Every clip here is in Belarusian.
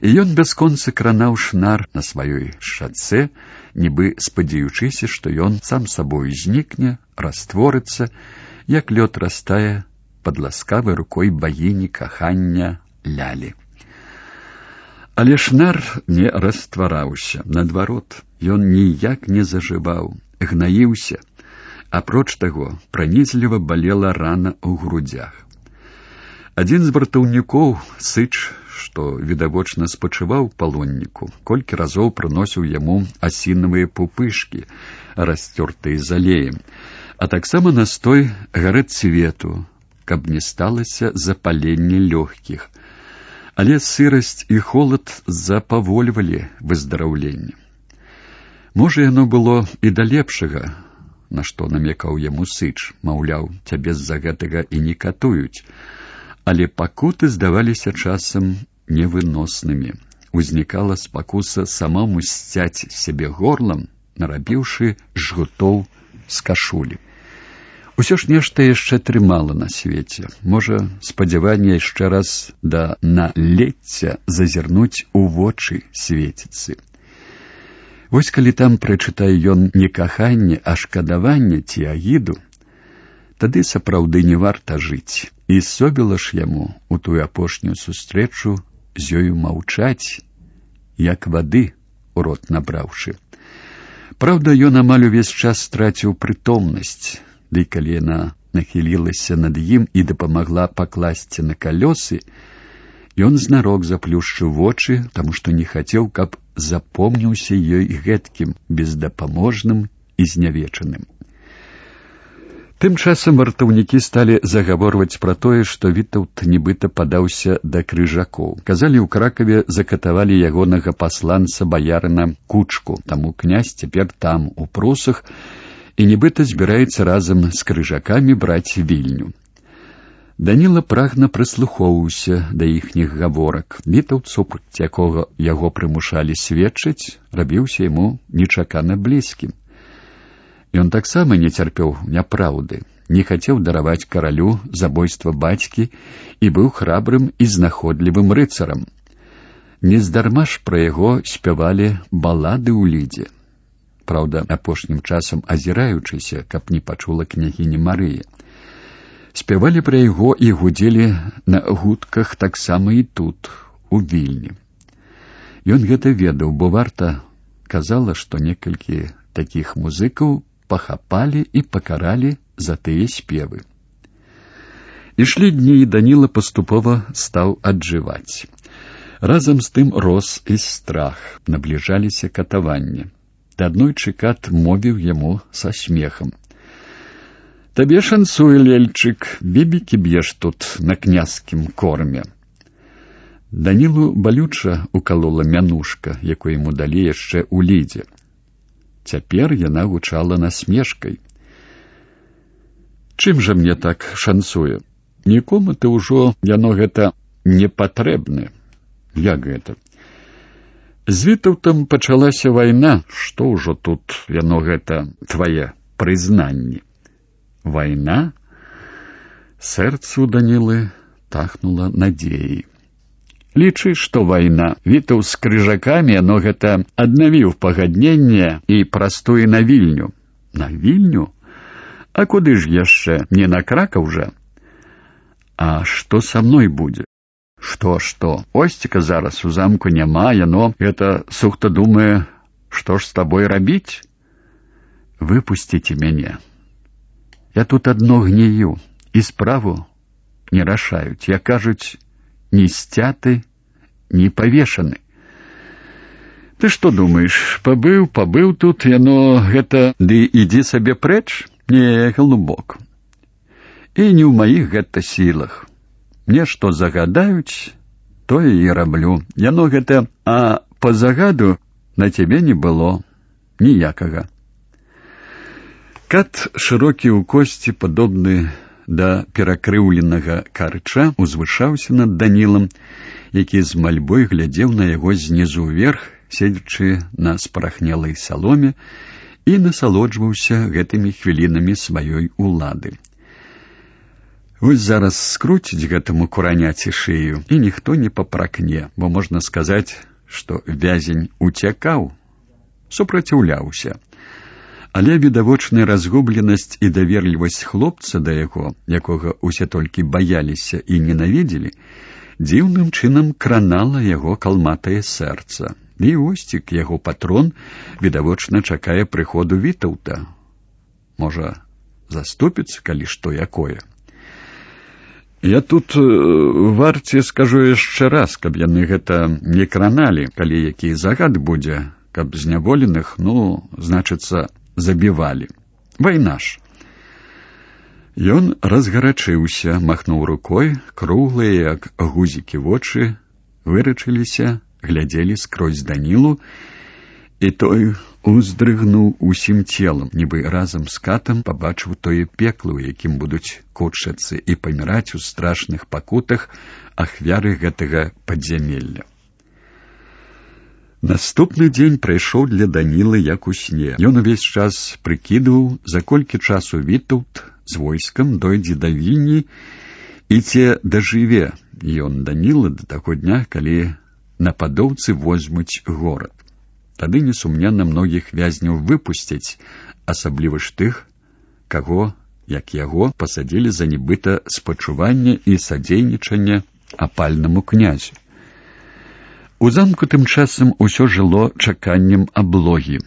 І ён бясконца кранаў шнар на сваёй шацэ, нібы спадзяючыся, што ён сам сабою знікне, растворыцца, як лёд растае пад ласкавай рукой багіні кахання Лялі. Але шнар не раствараўся, наадварот, ён ніяк не зажываў, гнаіўся. Апроч таго, пранізліва балела рана ў грудзях. Адзін з вартаўнікоў, Сыч, што відавочна спачываў палонніку, колькі разоў прыносіў яму асінавыя пупышкі, расцёртыя залеем, а таксама настой гарэцвету, каб не сталася запаленне лёгкіх. Але сырасць і холад запавольвалі выздараўленне. Можа, яно было і да лепшага, на што намекаў яму Сыч, маўляў, цябе з-за гэтага і не катуюць, але пакуты здаваліся часам невыноснымі. Узнікала спакуса самому сцяць сябе горлам, нарабіўшы жгутоў з кашулі. Усё ж нешта яшчэ трымала на свеце. Можа, спадзяванне яшчэ раз да налецця зазірнуць у вочы свеціцы. Вось калі там прачытае ён не каханне, а шкадаванне ці агіду, тады сапраўды не варта жыць. І собіла ж яму у тую апошнюю сустрэчу з ёю маўчаць, як вады ў рот набраўшы. Праўда, ён амаль увесь час страціў прытомнасць, ды калі яна нахілілася над ім і дапамагла пакласці на калёсы, ён знарок заплюшчыў вочы, таму што не хацеў, каб запомніўся ёй гэткім, бездапаможным і знявечаным. Тым часам вартаўнікі сталі загаворваць пра тое, што Вітаўт нібыта падаўся да крыжакоў. Казалі, ў Кракаве закатавалі ягонага пасланца баярына Кучку, таму князь цяпер там, у Прусах, і нібыта збіраецца разам з крыжакамі браць Вільню. Даніла прагна прыслухоўваўся да іхніх гаворак. Вітаўт, супраць якога яго прымушалі сведчыць, рабіўся яму нечакана блізкім. Ён таксама не цярпеў няпраўды, не хацеў дараваць каралю забойства бацькі і быў храбрым і знаходлівым рыцарам. Нездарма ж пра яго спявалі балады ў лідзе. Праўда, апошнім часам азіраючыся, каб не пачула княгіня Марыя. Спявалі пра яго і гудзелі на гудках таксама і тут, у Вільні. Ён гэта ведаў, бо варта казала, што некалькі такіх музыкаў пахапалі і пакаралі за тыя спевы. Ішлі дні, і Даніла паступова стаў аджываць. Разам з тым рос і страх, набліжаліся катаванні. Да аднойчы кат мовіў яму са смехам: «Табе шанцуе, Лельчык, бібікі б'еш тут на князькім корме». Данілу балюча укалола мянушка, якую яму далі яшчэ ў лідзе. Цяпер яна гучала насмешкай. «Чым жа мне так шанцуе? Нікому ты ўжо яно гэта не патрэбны». «Як гэта?» «З Вітаўтам пачалася вайна, што ўжо тут яно гэта твае прызнанні». «Вайна?» Сэрцу Данілы тахнула надзеяй. «Лічы, што вайна. Вітаў з крыжакамі, яно гэта аднавіў пагадненне і прастуе на Вільню». «На Вільню? А куды ж яшчэ? Не на Кракаў жа?» «А што са мной будзе?» «Што? Осціка зараз у замку няма, яно гэта сухта думае, што ж з табой рабіць?» «Выпусціце мяне. Я тут адно гнію, і справу не рашаюць. Я, кажуць, ні сцяты, ні павешаны». «Ты што думаеш, пабыў тут, яно гэта, ды ідзі сабе прэч? Не, голубок. І не ў маіх гэта сілах. Мне што загадаюць, тое і раблю. Яно гэта, а па загаду на цябе не было ніякага». Кат, шырокі ў косці, падобны да перакрыўленага карча, узвышаўся над Данілам, які з мальбой глядзеў на яго знізу ўверх, седзячы на спарахнелай саломе, і насалоджваўся гэтымі хвілінамі сваёй улады. Вось зараз скруціць гэтаму кураняці шыю, і ніхто не папракне, бо можна сказаць, што вязень уцякаў, супраціўляўся. Але відавочная разгубленасць і даверлівасць хлопца да яго, якога ўсе толькі баяліся і ненавідзелі, дзіўным чынам кранала яго калматае сэрца. І Осцік, яго патрон, відавочна чакае прыходу Вітаўта. Можа, заступіцца, калі што якое. Я тут варце скажу яшчэ раз, каб яны гэта не краналі, калі які загад будзе, каб зняволеных, значыцца, забівалі. Вайна ж. Ён разгарачыўся, махнуў рукой, круглыя, як гузікі вочы, вырачыліся, глядзелі скрозь Данілу, і той уздрыгнуў усім целам, нібы разам з катам пабачыў тое пекла, у якім будуць кутчацца і паміраць у страшных пакутах ахвяры гэтага падзямелля. Наступны дзень прайшоў для Данілы як у сне. Ён увесь час прыкідваў, за колькі часу Вітаўт з войскам дойдзе да Вільні і ці дажыве ён, Даніла, да таго дня, калі нападоўцы возьмуць горад. Тады несумненна многіх вязняў выпусцяць, асабліва ж тых, каго, як яго, пасадзілі за нібыта спачуванне і садзейнічанне апальнаму князю. У замку тым часам усё жыло чаканнем аблогі.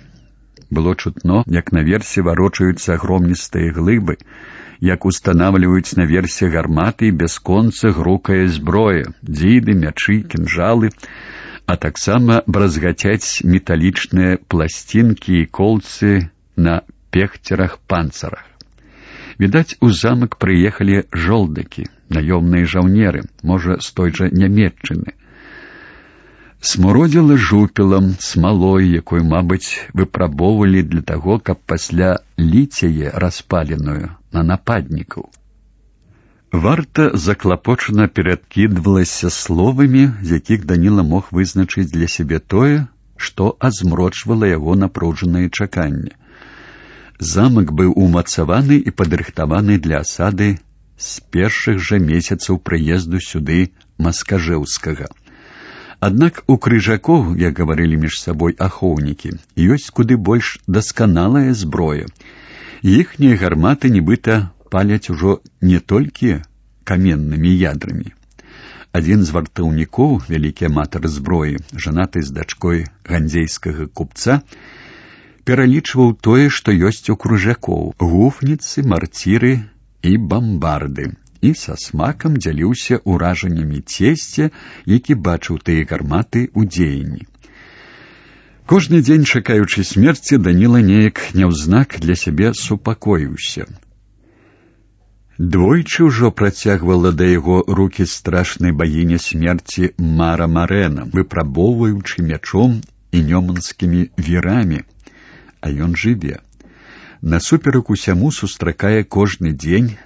Было чутно, як наверсе варочаюцца агромністыя глыбы, як устанавліваюць наверсе гарматы і бясконца грукае зброя, дзіды, мячы, кінжалы, а таксама бразгацяць металічныя пласцінкі і колцы на пехцерах-панцарах. Відаць, у замак прыехалі жолдакі, наёмныя жаўнеры, можа, з той жа Нямецчыны. Смуродзіла жупелам, смалой, якой, мабыць, выпрабоўвалі для таго, каб пасля ліць яе распаленую на нападнікаў. Варта заклапочана перадкідвалася словамі, з якіх Даніла мог вызначыць для сябе тое, што азмрочвала яго напружанае чаканне. Замак быў умацаваны і падрыхтаваны для асады з першых жа месяцаў прыезду сюды Маскажэўскага. Аднак у крыжакоў, як гаварылі між сабой ахоўнікі, ёсць куды больш дасканалая зброя. Іхнія гарматы нібыта паляць ужо не толькі каменнымі ядрамі. Адзін з вартаўнікоў, вялікі аматар зброі, жанаты з дачкой гандзейскага купца, пералічваў тое, што ёсць у крыжакоў: гуфніцы, марціры і бамбарды, і са смакам дзяліўся ўражаннямі цесця, які бачыў тыя гарматы ў дзеянні. Кожны дзень, чакаючы смерці, Даніла неяк няўзнак для сябе супакоіўся. Двойчы ўжо працягвала да яго рукі страшнай багіня смерці Мара Марэна, выпрабоўваючы мячом і нёманскімі вірамі, а ён жыве. Насуперак усяму сустракае кожны дзень,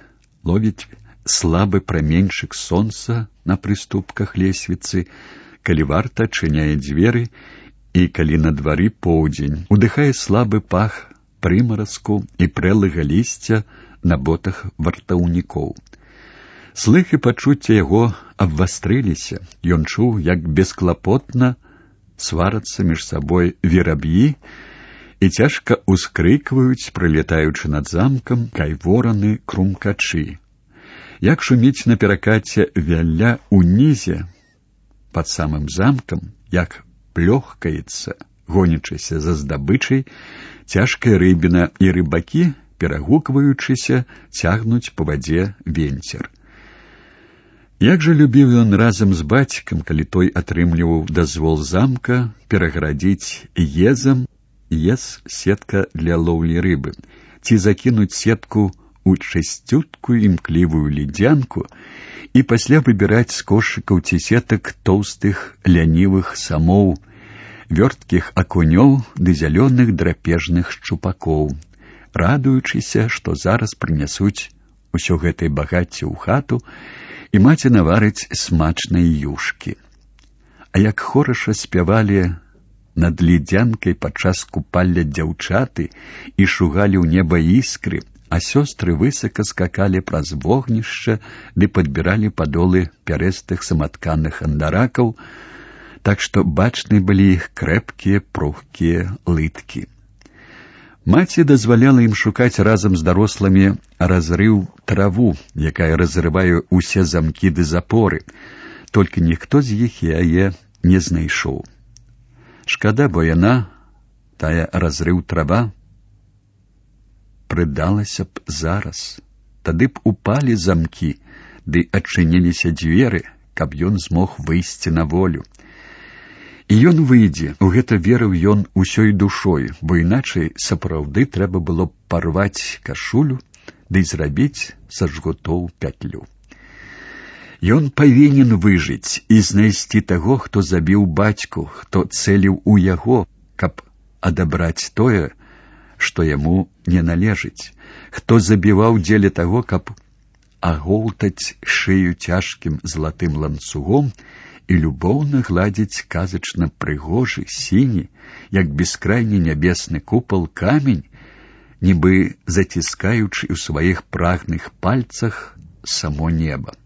ловіць слабы праменьчык сонца на прыступках лесвіцы, калі варта адчыняе дзверы, і калі на двары поўдзень, удыхае слабы пах прымаразку і прэлага лісця на ботах вартаўнікоў. Слых і пачуцці яго абвастрыліся. Ён чуў, як бесклапотна сварацца між сабой вераб'і і цяжка ўскрыкваюць, прылетаючы над замкам, кайвораны крумкачы. Як шуміць на перакаце вялля ўнізе пад самым замкам, як плёхкаецца, гонячыся за здабычай, цяжкая рыбіна, і рыбакі, перагукваючыся, цягнуць па вадзе венцер. Як жа любіў ён разам з бацькам, калі той атрымліваў дазвол замка перагарадзіць езам сетка для лоўлі рыбы, ці закінуць сетку у чысцюткую імклівую ледзянку і пасля выбіраць з кошыкаў ці сетак тоўстых лянівых самоў, вёрткіх акунёў ды зялёных драпежных шчупакоў, радуючыся, што зараз прынясуць усё гэтай багацце ў хату і маці наварыць смачнай юшкі. А як хораша спявалі над ледзянкай падчас купалля дзяўчаты і шугалі ў неба іскры, а сёстры высока скакалі праз вогнішча ды падбіралі падолы пярэстых саматканых андаракаў, так што бачны былі іх крэпкія пругкія лыткі. Маці дазваляла ім шукаць разам з дарослымі разрыў траву, якая разрывае ўсе замкі ды запоры, толькі ніхто з іх яе не знайшоў. Шкада, бо яна, тая разрыў трава, прыдалася б зараз. Тады б упалі замкі, ды адчыніліся дзверы, каб ён змог выйсці на волю. І ён выйдзе, у гэта верыў ён усёй душой, бо іначай сапраўды трэба было парваць кашулю ды зрабіць са жгутоў пятлю. Ён павінен выжыць і знайсці таго, хто забіў бацьку, хто цэліў у яго, каб адабраць тое, што яму не належыць, хто забіваў дзеля таго, каб агоўтаць шыю цяжкім залатым ланцугом і любоўна гладзіць казачна прыгожы, сіні, як бескрайні нябесны купал камень, нібы заціскаючы ў сваіх прагных пальцах само неба.